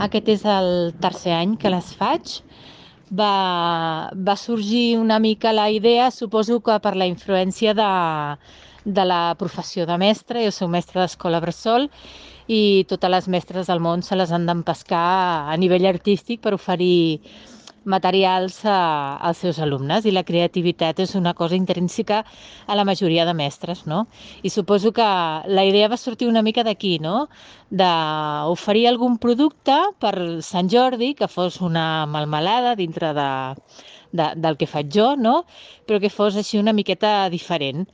Aquest és el tercer any que les faig. Va sorgir una mica la idea, suposo que per la influència de la professió de mestra. Jo soc mestra d'escola bressol i totes les mestres del món se les han d'empescar a nivell artístic per oferir materials als seus alumnes, i la creativitat és una cosa intrínseca a la majoria de mestres, no? I suposo que la idea va sortir una mica d'aquí, no? D'oferir algun producte per Sant Jordi que fos una melmelada dintre del que faig jo, no? Però que fos així una miqueta diferent.